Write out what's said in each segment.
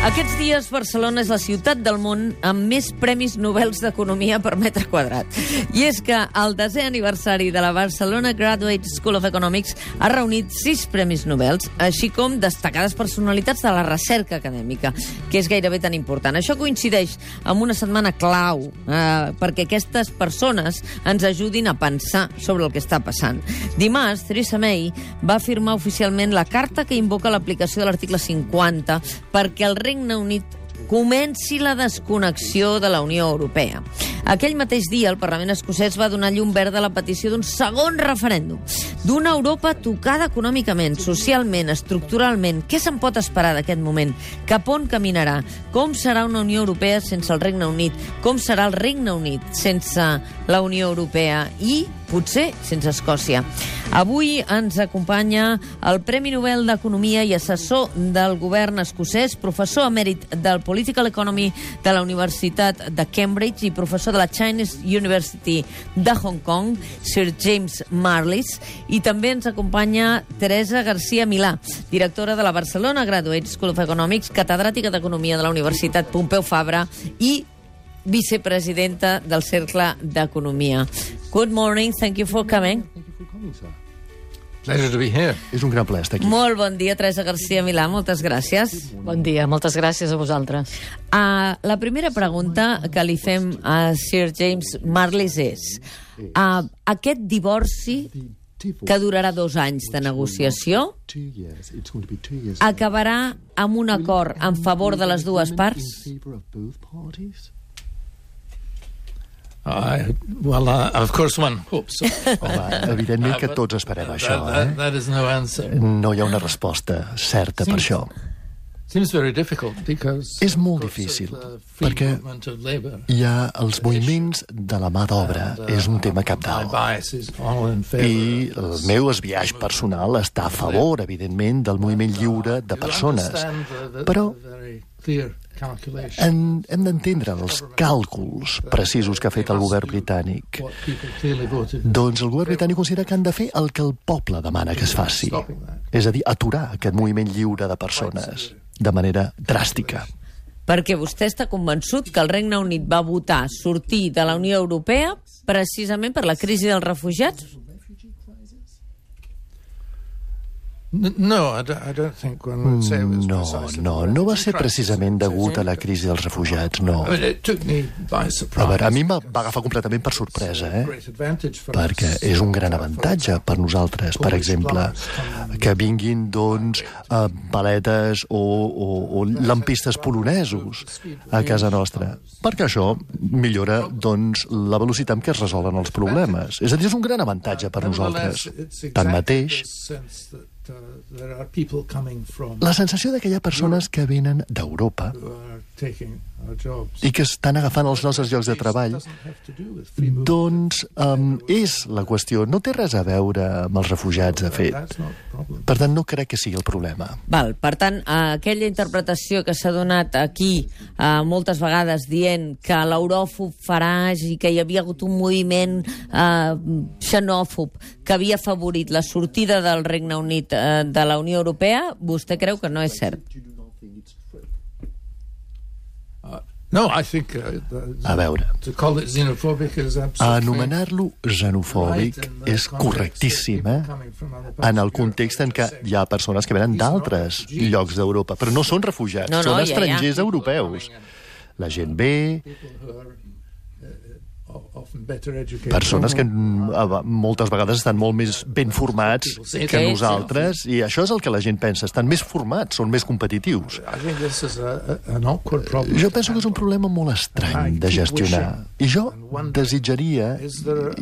Aquests dies Barcelona és la ciutat del món amb més premis Nobel d'Economia per metre quadrat. I és que el 10è aniversari de la Barcelona Graduate School of Economics ha reunit 6 premis Nobel, així com destacades personalitats de la recerca acadèmica, que és gairebé tan important. Això coincideix amb una setmana clau perquè aquestes persones ens ajudin a pensar sobre el que està passant. Dimarts, Theresa May va firmar oficialment la carta que invoca l'aplicació de l'article 50 perquè el Regne Unit comenci la desconnexió de la Unió Europea. Aquell mateix dia, el Parlament escocès va donar llum verda a la petició d'un segon referèndum, d'una Europa tocada econòmicament, socialment, estructuralment. Què se'n pot esperar d'aquest moment? Cap on caminarà? Com serà una Unió Europea sense el Regne Unit? Com serà el Regne Unit sense la Unió Europea? I potser sense Escòcia. Avui ens acompanya el Premi Nobel d'Economia i assessor del govern escocès, professor emèrit del Political Economy de la Universitat de Cambridge i professor de la Chinese University de Hong Kong, Sir James Marlis, i també ens acompanya Teresa García Milà, directora de la Barcelona Graduate School of Economics, catedràtica d'Economia de la Universitat Pompeu Fabra i vicepresidenta del Cercle d'Economia. Good morning, thank you for coming. Thank you for coming, sir. Pleasure to be here. És un gran plaer estar aquí. Molt bon dia, Teresa García Milà, moltes gràcies. Bon dia, moltes gràcies a vosaltres. La primera pregunta que li fem a Sir James Marlis és aquest divorci que durarà 2 anys de negociació acabarà amb un acord en favor de les dues parts? Of course one hopes so. Evidentment que tots esperem això, That is no answer. No hi ha una resposta certa per això. Seems very difficult because És molt difícil, perquè hi ha els moviments de la mà d'obra, és un tema cabdal. I el meu esbiaix personal està a favor, evidentment, del moviment lliure de persones. Però hem d'entendre els càlculs precisos que ha fet el govern britànic. Doncs el govern britànic considera que han de fer el que el poble demana que es faci. És a dir, aturar aquest moviment lliure de persones de manera dràstica. Perquè vostè està convençut que el Regne Unit va votar sortir de la Unió Europea precisament per la crisi dels refugiats? No, I don't think one would say it was precisely. No va ser precisament degut a la crisi dels refugiats, no. I mean, it took me by surprise. A veure, a mi em va agafar completament per sorpresa, perquè és un gran avantatge per nosaltres, per exemple, que vinguin, doncs, paletes o lampistes polonesos a casa nostra, perquè això millora, doncs, la velocitat amb què es resolen els problemes. És a dir, és un gran avantatge per nosaltres. Tanmateix, la sensació que hi ha persones que venen d'Europa i que estan agafant els nostres llocs de treball, doncs és la qüestió. No té res a veure amb els refugiats, de fet. Per tant, no crec que sigui el problema. Val, per tant, aquella interpretació que s'ha donat aquí moltes vegades dient que l'euròfob Farage i que hi havia hagut un moviment xenòfob que havia afavorit la sortida del Regne Unit de la Unió Europea, vostè creu que no és cert? No, I think a veure, to call it xenophobic is absolutely anomenar-lo xenofòbic és correctíssim, en el context en què hi ha persones que venen d'altres llocs d'Europa, però no són refugiats, són estrangers europeus. La gent ve, persones que moltes vegades estan molt més ben formats que nosaltres, i això és el que la gent pensa, estan més formats, són més competitius. Jo penso que és un problema molt estrany de gestionar, i jo desitjaria,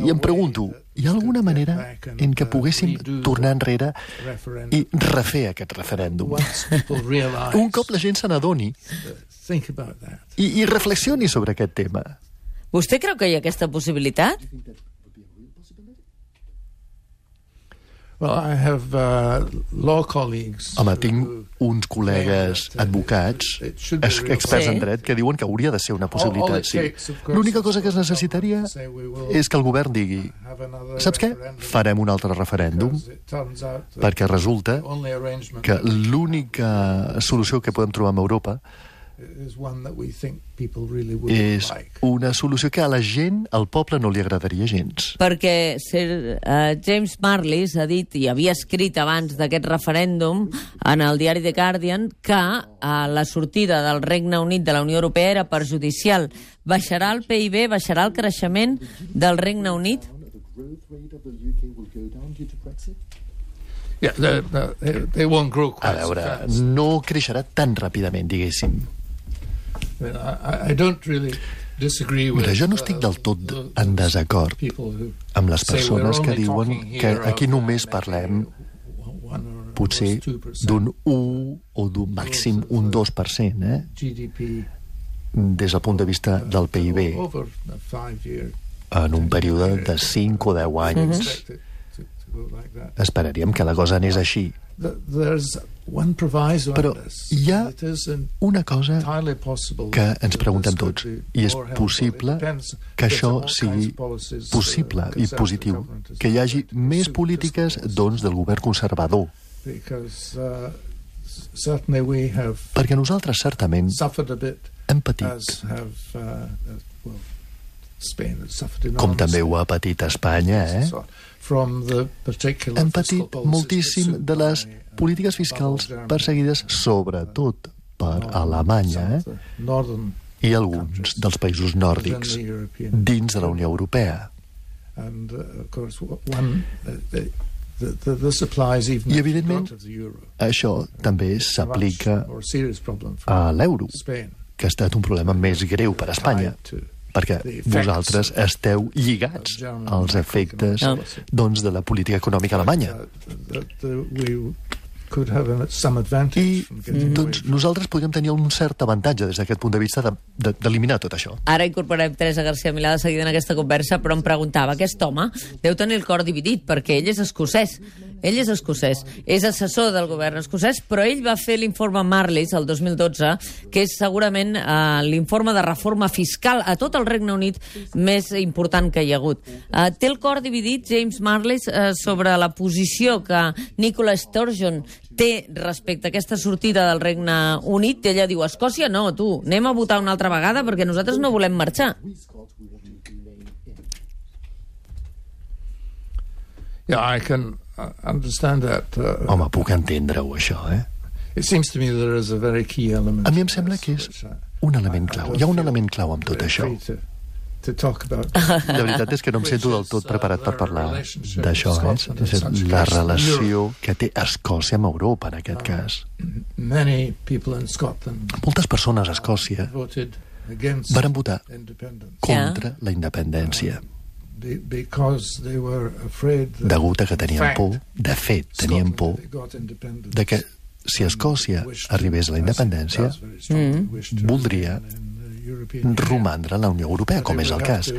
i em pregunto, hi ha alguna manera en què poguéssim tornar enrere i refer aquest referèndum? Un cop la gent se n'adoni i reflexioni sobre aquest tema. Vostè creu que hi ha aquesta possibilitat? Home, tinc uns col·legues advocats, experts en dret, que diuen que hauria de ser una possibilitat, sí. L'única cosa que es necessitaria és que el govern digui: saps què? Farem un altre referèndum, perquè resulta que l'única solució que podem trobar amb Europa és una solució que a la gent, al poble, no li agradaria gens. Perquè James Marlis ha dit, i havia escrit abans d'aquest referèndum en el diari The Guardian, que la sortida del Regne Unit de la Unió Europea era perjudicial. Baixarà el PIB, baixarà el creixement del Regne Unit? A veure, no creixerà tan ràpidament, diguéssim. Mira, jo no estic del tot en desacord amb les persones que diuen que aquí només parlem potser d'un 1 o d'un màxim un 2%, des del punt de vista del PIB en un període de 5 o 10 anys. Esperaríem que la cosa anés així. Però hi ha una cosa que ens preguntem tots, i és possible que això sigui possible i positiu, que hi hagi més polítiques, doncs, del govern conservador. Perquè nosaltres, certament, hem patit, com també ho ha patit Espanya, hem patit moltíssim de les polítiques fiscals perseguides sobretot per Alemanya i alguns dels països nòrdics dins de la Unió Europea. I, evidentment, això també s'aplica a l'euro, que ha estat un problema més greu per a Espanya, perquè vosaltres esteu lligats als efectes de la política econòmica alemanya. I doncs nosaltres podríem tenir un cert avantatge des d'aquest punt de vista d'eliminar tot això. Ara incorporem Teresa García Milà de seguida en aquesta conversa, però em preguntava, aquest home deu tenir el cor dividit, perquè ell és escocès. Ell és escocès, és assessor del govern escocès, però ell va fer l'informe Marlis el 2012, que és segurament l'informe de reforma fiscal a tot el Regne Unit més important que hi ha hagut. Té el cor dividit, James Marlis, sobre la posició que Nicola Sturgeon té respecte a aquesta sortida del Regne Unit. Ella diu, Escòcia no, tu, anem a votar una altra vegada perquè nosaltres no volem marxar. I can understand that. Home, puc entendre-ho, això, It seems to me there is a very key element. A mi em sembla que és un element clau. Hi ha un element clau amb tot això. La veritat és que no em sento del tot preparat per parlar d'això, la relació que té Escòcia amb Europa, en aquest cas. Moltes persones a Escòcia van votar contra la independència, degut a que tenien por, de fet, tenien por de que si Escòcia arribés a la independència, voldria romandre a la Unió Europea, com és el cas.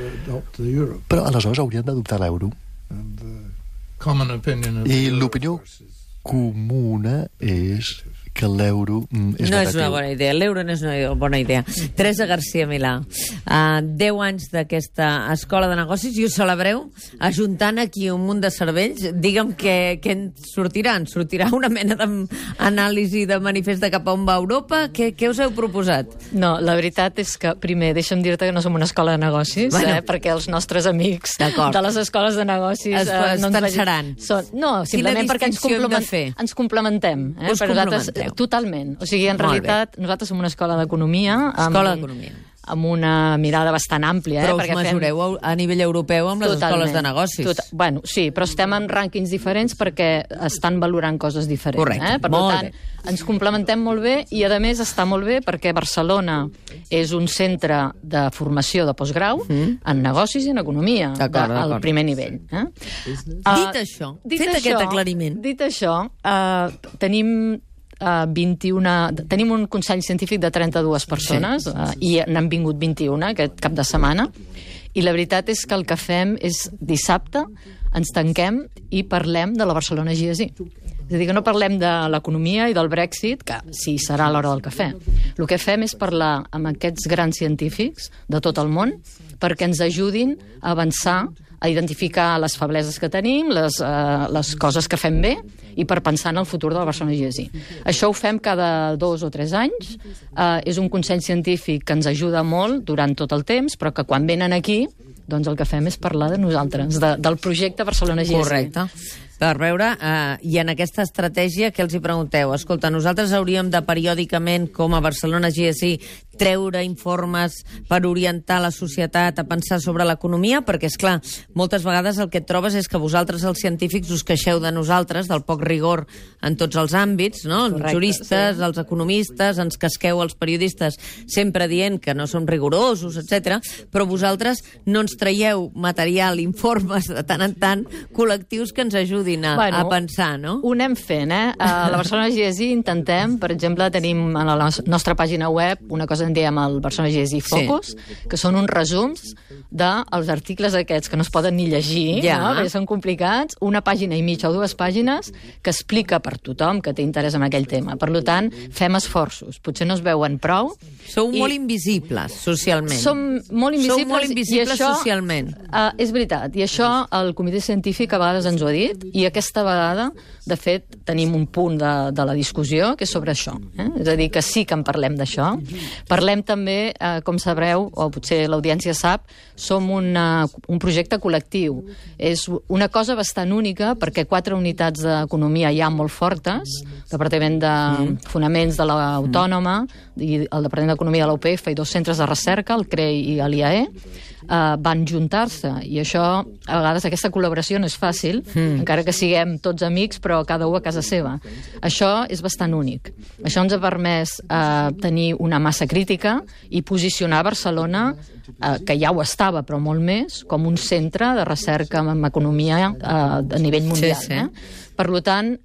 Però aleshores haurien d'adoptar l'euro. I l'opinió comuna és que l'euro és no és una bona idea, l'euro no és una bona idea. Teresa García Milà, 10 anys d'aquesta escola de negocis i ho celebreu ajuntant aquí un munt de cervells. Digue'm què en sortirà. En sortirà una mena d'anàlisi de manifest de cap a on va Europa? Què us heu proposat? No, la veritat és que, primer, deixa'm dir-te que no som una escola de negocis, perquè els nostres amics de les escoles de negocis no ens pensaran. No, simplement perquè ens complementem. Us complementeu. Totalment. O sigui, en realitat, nosaltres som una escola d'economia. Amb una mirada bastant àmplia. Però us mesureu a nivell europeu amb les escoles de negocis. Bueno, sí, però estem en rànquings diferents perquè estan valorant coses diferents. Correcte, per tant, ens complementem molt bé i, a més, està molt bé perquè Barcelona és un centre de formació de postgrau en negocis i en economia, al primer nivell. Dit això, fet aquest aclariment. Dit això, tenim 21... Tenim un consell científic de 32 persones i n'han vingut 21 aquest cap de setmana, i la veritat és que el que fem és dissabte ens tanquem i parlem de la Barcelona GSI. És a dir, que no parlem de l'economia i del Brexit, que sí, serà a l'hora del cafè. El que fem és parlar amb aquests grans científics de tot el món perquè ens ajudin a avançar a identificar les febleses que tenim, les coses que fem bé, i per pensar en el futur de la Barcelona GSI. Això ho fem cada 2 o 3 anys. És un consell científic que ens ajuda molt durant tot el temps, però que quan venen aquí, doncs el que fem és parlar de nosaltres, del projecte Barcelona GSI. Correcte. Per veure, i en aquesta estratègia, què els hi pregunteu? Escolta, nosaltres hauríem de periòdicament, com a Barcelona GSI, treure informes per orientar la societat a pensar sobre l'economia, perquè, és clar, moltes vegades el que et trobes és que vosaltres, els científics, us queixeu de nosaltres, del poc rigor en tots els àmbits, no? Els juristes, els economistes, ens casqueu els periodistes sempre dient que no som rigorosos, etc. Però vosaltres no ens traieu material, informes, de tant en tant, col·lectius que ens ajudin a pensar, no? Ho anem fent, A la Barcelona GSI intentem, per exemple, tenim a la nostra pàgina web una cosa que en diem el Barcelona GSI Focus, que són uns resums dels articles aquests que no es poden ni llegir, perquè són complicats, una pàgina i mitja o 2 pàgines que explica per tothom que té interès en aquell tema. Per tant, fem esforços. Potser no es veuen prou. Sou molt invisibles socialment. Som molt invisibles. Sou molt invisibles socialment. És veritat, i això el comitè científic a vegades ens ho ha dit, i aquesta vegada, de fet, tenim un punt de la discussió que és sobre això. És a dir, que sí que en parlem d'això. Parlem també, com sabreu, o potser l'audiència sap, som un projecte col·lectiu. És una cosa bastant única perquè 4 unitats d'economia hi ha molt fortes, el Departament de Fonaments de l'Autònoma i el Departament d'Economia de la UPF i 2 centres de recerca, el CREI i l'IAE, van juntar-se, i això, a vegades aquesta col·laboració no és fàcil, encara que siguem tots amics, però cada un a casa seva. Això és bastant únic. Això ens ha permès tenir una massa crítica i posicionar Barcelona, que ja ho estava, però molt més, com un centre de recerca en economia a nivell mundial. Per tant,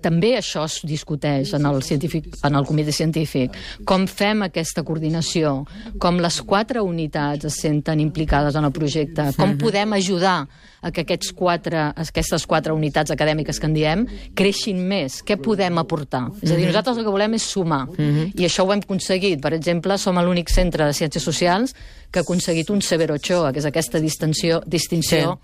també això es discuteix en el comitè científic. Com fem aquesta coordinació? Com les 4 unitats es senten implicades en el projecte? Com podem ajudar a que aquestes 4 unitats acadèmiques que en diem creixin més? Què podem aportar? És a dir, nosaltres el que volem és sumar. I això ho hem aconseguit. Per exemple, som l'únic centre de ciències socials que ha aconseguit un Severo Ochoa, que és aquesta distinció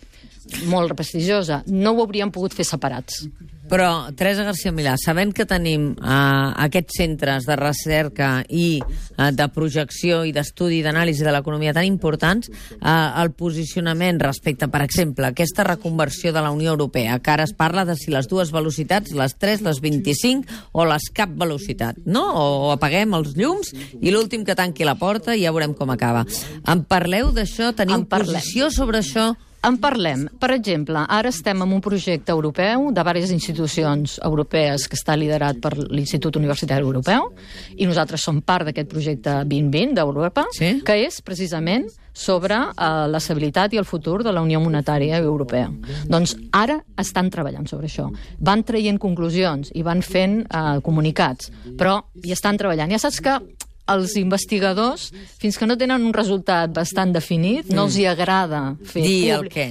molt prestigiosa. No ho hauríem pogut fer separats. Però, Teresa García Milà, sabent que tenim aquests centres de recerca i de projecció i d'estudi i d'anàlisi de l'economia tan importants, el posicionament respecte, per exemple, aquesta reconversió de la Unió Europea, que ara es parla de si les 2 velocitats, les 3, les 25 o les cap velocitat, no? O apaguem els llums i l'últim que tanqui la porta i ja veurem com acaba. En parleu d'això? Teniu posició sobre això? En parlem. Per exemple, ara estem en un projecte europeu de diverses institucions europees que està liderat per l'Institut Universitari Europeu, i nosaltres som part d'aquest projecte 2020 d'Europa, que és precisament sobre l'estabilitat i el futur de la Unió Monetària Europea. Doncs ara estan treballant sobre això. Van traient conclusions i van fent comunicats, però hi estan treballant. Ja saps que els investigadors, fins que no tenen un resultat bastant definit, no els hi agrada fer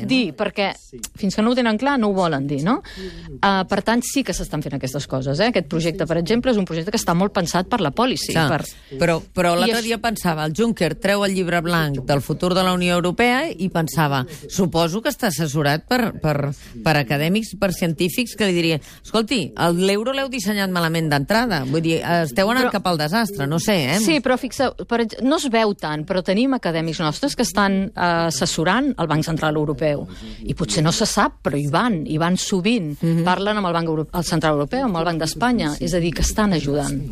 dir, perquè fins que no ho tenen clar no ho volen dir, no? Per tant, sí que s'estan fent aquestes coses. Aquest projecte, per exemple, és un projecte que està molt pensat per la policy. Però l'altre dia pensava, el Juncker treu el llibre blanc del futur de la Unió Europea i pensava, suposo que està assessorat per acadèmics, per científics, que li dirien, escolti, l'euro l'heu dissenyat malament d'entrada, vull dir, esteu anant cap al desastre, no sé, Sí, però fixeu, no es veu tant, però tenim acadèmics nostres que estan assessorant el Banc Central Europeu. I potser no se sap, però hi van sovint. Parlen amb el Banc Central Europeu, amb el Banc d'Espanya, és a dir, que estan ajudant.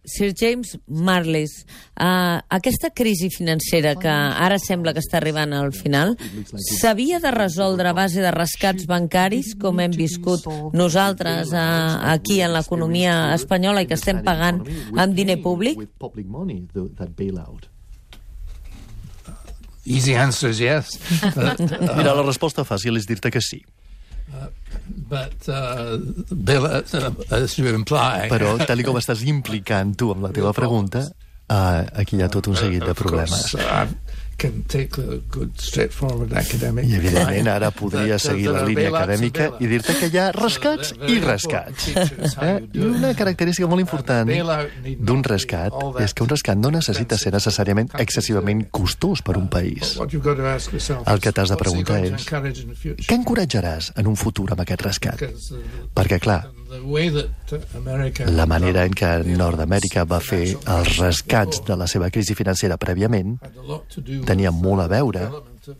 Sir James Marlis, aquesta crisi financera que ara sembla que està arribant al final, s'havia de resoldre a base de rescats bancaris, com hem viscut nosaltres aquí en l'economia espanyola i que estem pagant amb diner públic? Easy answer is yes. Mira, la resposta fàcil és dir-te que sí. But, Bill, as you imply... Però, tal com estàs implicant tu amb la teva pregunta, aquí hi ha tot un seguit de problemes. I evidentment ara podria seguir la línia acadèmica i dir-te que hi ha rescats i rescats. I una característica molt important d'un rescat és que un rescat no necessita ser necessàriament excessivament costós per un país. El que t'has de preguntar és què encoratjaràs en un futur amb aquest rescat? Perquè, clar, la manera en què Nord-Amèrica va fer els rescats de la seva crisi financera prèviament tenia molt a veure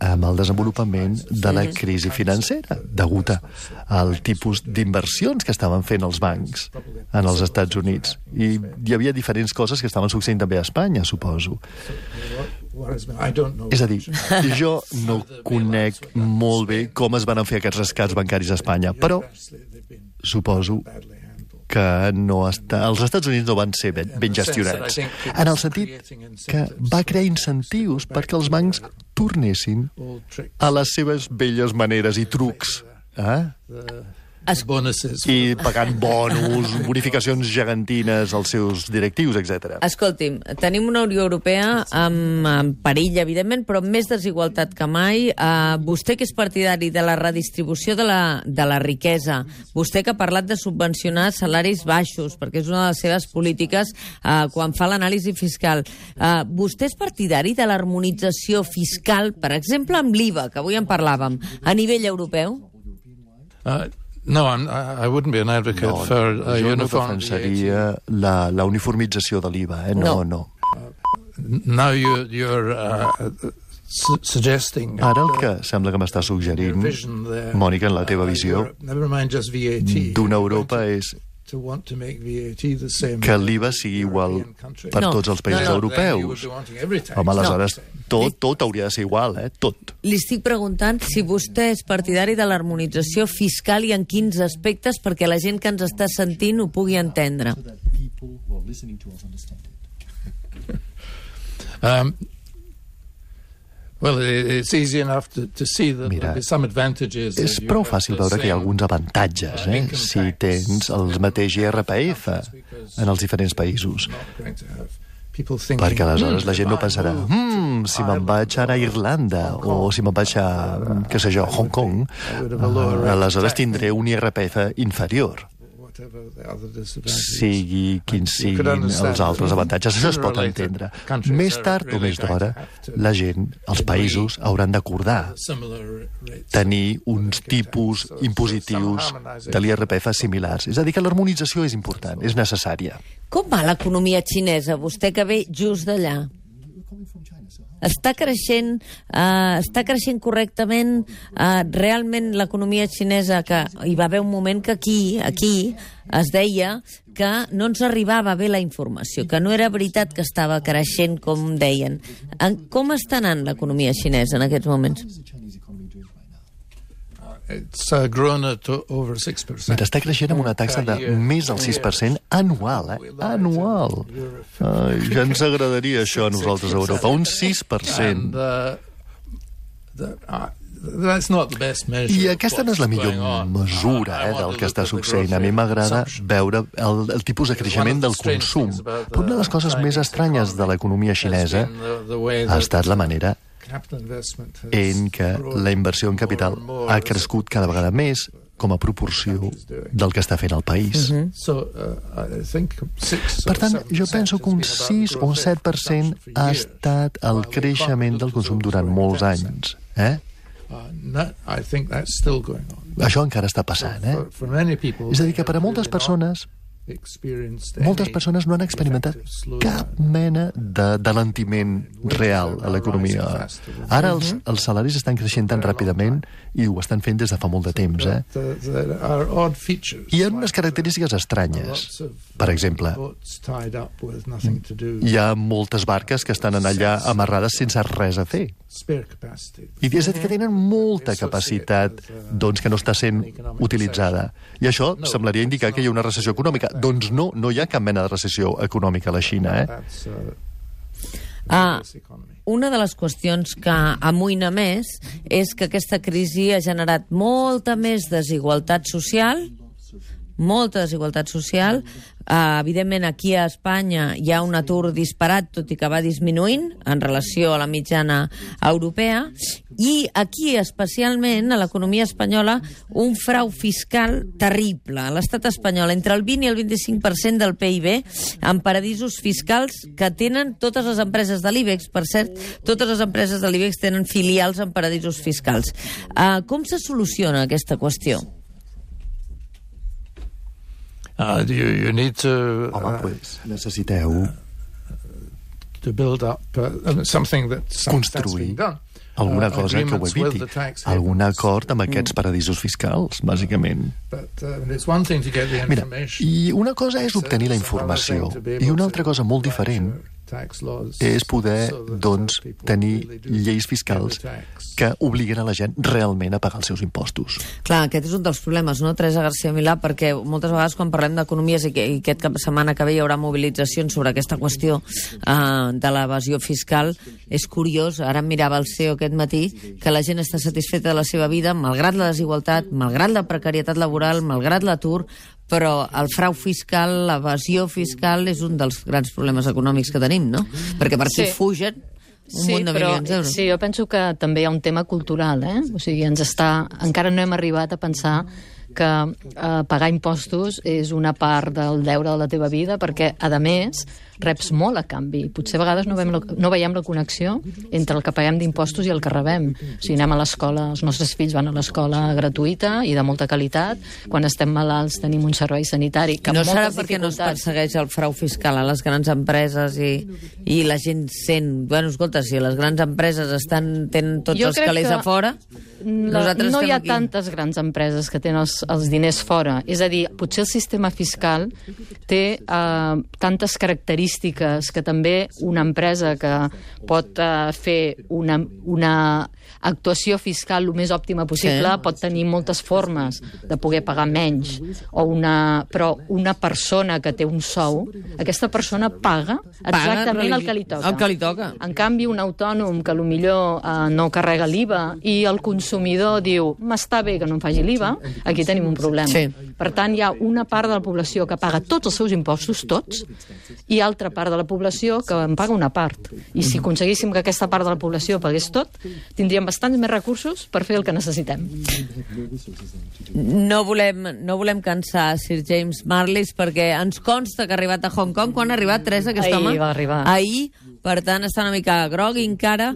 amb el desenvolupament de la crisi financera, degut al tipus d'inversions que estaven fent els bancs en els Estats Units. I hi havia diferents coses que estaven succeint també a Espanya, suposo. És a dir, jo no conec molt bé com es van fer aquests rescats bancaris a Espanya, però suposo que els Estats Units no van ser ben gestionats, en el sentit que va crear incentius perquè els bancs tornessin a les seves velles maneres i trucs, i pagant bonus, bonificacions gegantines als seus directius, etc. Escolti'm, tenim una Unió Europea amb perill, evidentment, però amb més desigualtat que mai. Vostè, que és partidari de la redistribució de la riquesa, vostè que ha parlat de subvencionar salaris baixos, perquè és una de les seves polítiques quan fa l'anàlisi fiscal, vostè és partidari de l'harmonització fiscal, per exemple, amb l'IVA, que avui en parlàvem, a nivell europeu? No, I wouldn't be an advocate for jo no uniform defensaria la uniformització de l'IVA, no. Now you're suggesting... Ara el que sembla que m'està suggerint, Mònica, en la teva visió d'una Europa és que l'IVA sigui igual per tots els països europeus. Home, aleshores tot hauria de ser igual, tot. Li estic preguntant si vostè és partidari de l'harmonització fiscal i en quins aspectes, perquè la gent que ens està sentint ho pugui entendre. Mira, és prou fàcil veure que hi ha alguns avantatges si tens el mateix IRPF en els diferents països. Perquè aleshores la gent no pensarà si me'n vaig ara a Irlanda o si me'n vaig a, què sé jo, Hong Kong, aleshores tindré un IRPF inferior. Sigui quins siguin els altres avantatges, això es pot entendre. Més tard o més d'hora, la gent, els països, hauran d'acordar tenir uns tipus impositius de l'IRPF similars. És a dir, que l'harmonització és important, és necessària. Com va l'economia xinesa, vostè que ve just d'allà? Està creixent correctament realment l'economia xinesa, que hi va haver un moment que aquí es deia que no ens arribava bé la informació, que no era veritat que estava creixent com deien. Com està anant l'economia xinesa en aquests moments? Està creixent amb una taxa de més del 6% anual, anual. Ja ens agradaria això a nosaltres a Europa, un 6%. I aquesta no és la millor mesura del que està succeint. A mi m'agrada veure el tipus de creixement del consum. Però una de les coses més estranyes de l'economia xinesa ha estat la manera en què la inversió en capital ha crescut cada vegada més com a proporció del que està fent el país. Per tant, jo penso que un 6 o un 7% ha estat el creixement del consum durant molts anys. Això encara està passant. És a dir, que per a moltes persones no han experimentat cap mena d'alentiment real a l'economia. Ara els salaris estan creixent tan ràpidament i ho estan fent des de fa molt de temps. Hi ha unes característiques estranyes. Per exemple, hi ha moltes barques que estan allà amarrades sense res a fer. I és a dir, que tenen molta capacitat que no està sent utilitzada. I això semblaria indicar que hi ha una recessió econòmica. Doncs no hi ha cap mena de recessió econòmica a la Xina. Una de les qüestions que amoïna més és que aquesta crisi ha generat molta més desigualtat social, Evidentment, aquí a Espanya hi ha un atur disparat, tot i que va disminuint en relació a la mitjana europea, i aquí, especialment, a l'economia espanyola, un frau fiscal terrible. A l'estat espanyol, entre el 20 i el 25% del PIB en paradisos fiscals que tenen totes les empreses de l'IBEX. Per cert, totes les empreses de l'IBEX tenen filials en paradisos fiscals. Com se soluciona aquesta qüestió? You need to... Home, pues, necessiteu to build up something that's construir been done. Alguna cosa que ho eviti, algun acord amb aquests paradisos fiscals, bàsicament. Mira, i una cosa és obtenir la informació, i una altra cosa molt diferent és poder, doncs, tenir lleis fiscals que obliguen a la gent realment a pagar els seus impostos. Clar, aquest és un dels problemes, no, Teresa García Milà? Perquè moltes vegades quan parlem d'economies i aquest cap de setmana que ve hi haurà mobilitzacions sobre aquesta qüestió de l'evasió fiscal, és curiós, ara em mirava el CEO aquest matí, que la gent està satisfeta de la seva vida, malgrat la desigualtat, malgrat la precarietat laboral, malgrat l'atur, però el frau fiscal, l'evasió fiscal és un dels grans problemes econòmics que tenim, no? Perquè per aquí fugen un munt de milions d'euros. Sí, jo penso que també hi ha un tema cultural, O sigui, encara no hem arribat a pensar que pagar impostos és una part del deure de la teva vida, perquè, a més, reps molt a canvi. Potser a vegades no veiem la connexió entre el que paguem d'impostos i el que rebem. O sigui, anem a l'escola, els nostres fills van a l'escola gratuïta i de molta qualitat. Quan estem malalts tenim un servei sanitari que no amb serà moltes perquè no es dificultats... persegueix el frau fiscal a les grans empreses i la gent sent... Bueno, escolta, si les grans empreses tenen tots els calés a fora... No hi ha tantes grans empreses que tenen els diners fora. És a dir, potser el sistema fiscal té tantes característiques que també una empresa que pot fer una actuació fiscal el més òptima possible pot tenir moltes formes de poder pagar menys. Però una persona que té un sou, aquesta persona paga exactament el que li toca. El que li toca. En canvi, un autònom que potser no carrega l'IVA i el consumidor diu m'està bé que no em faci l'IVA, aquí tenim un problema. Sí. Per tant, hi ha una part de la població que paga tots els seus impostos, tots, i altra part de la població que en paga una part. I si aconseguíssim que aquesta part de la població pagués tot, tindríem bastants més recursos per fer el que necessitem. No volem cansar Sir James Marlis perquè ens consta que ha arribat a Hong Kong. Quan ha arribat, Teresa, aquest home? Ahir va arribar. Ahir, per tant, està una mica grogui encara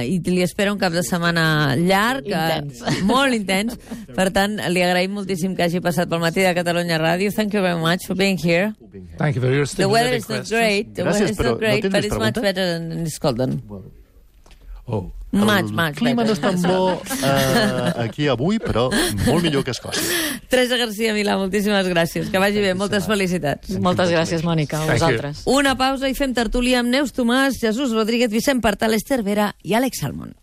i li espera un cap de setmana llarg, molt intens. Per tant, li agraïm moltíssim que hagi passat pel matí de Catalunya Ràdio. Thank you very much for being here. Thank you for your The weather is not great. The weather is not great, but it's much better than in Scotland. Oh. Much El clima no és tan bo aquí avui, però molt millor que a Escòcia. Teresa García Milà, moltíssimes gràcies. Que vagi bé, moltes felicitats. Moltes gràcies, Mònica, a vosaltres. Una pausa i fem tertúlia amb Neus Tomàs, Jesús Rodríguez, Vicent Partal, Esther Vera i Àlex Salmon.